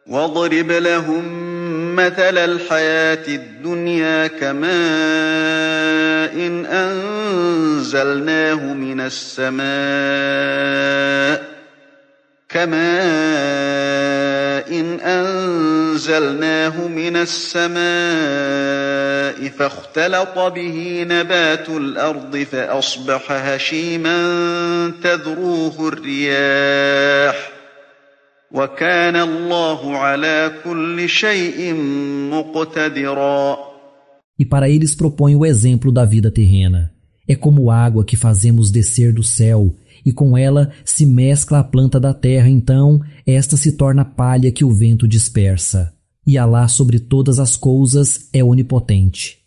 واضرب لهم مثل الحياة الدنيا كماء إن أنزلناه من السماء فاختلط به نبات الأرض فأصبح هشيما تذروه الرياح وكان الله على كل شيء مقتدرا. E para eles propõe o exemplo da vida terrena. É como água que fazemos descer do céu, e com ela se mescla a planta da terra, então esta se torna palha que o vento dispersa. E Alá sobre todas as coisas é onipotente.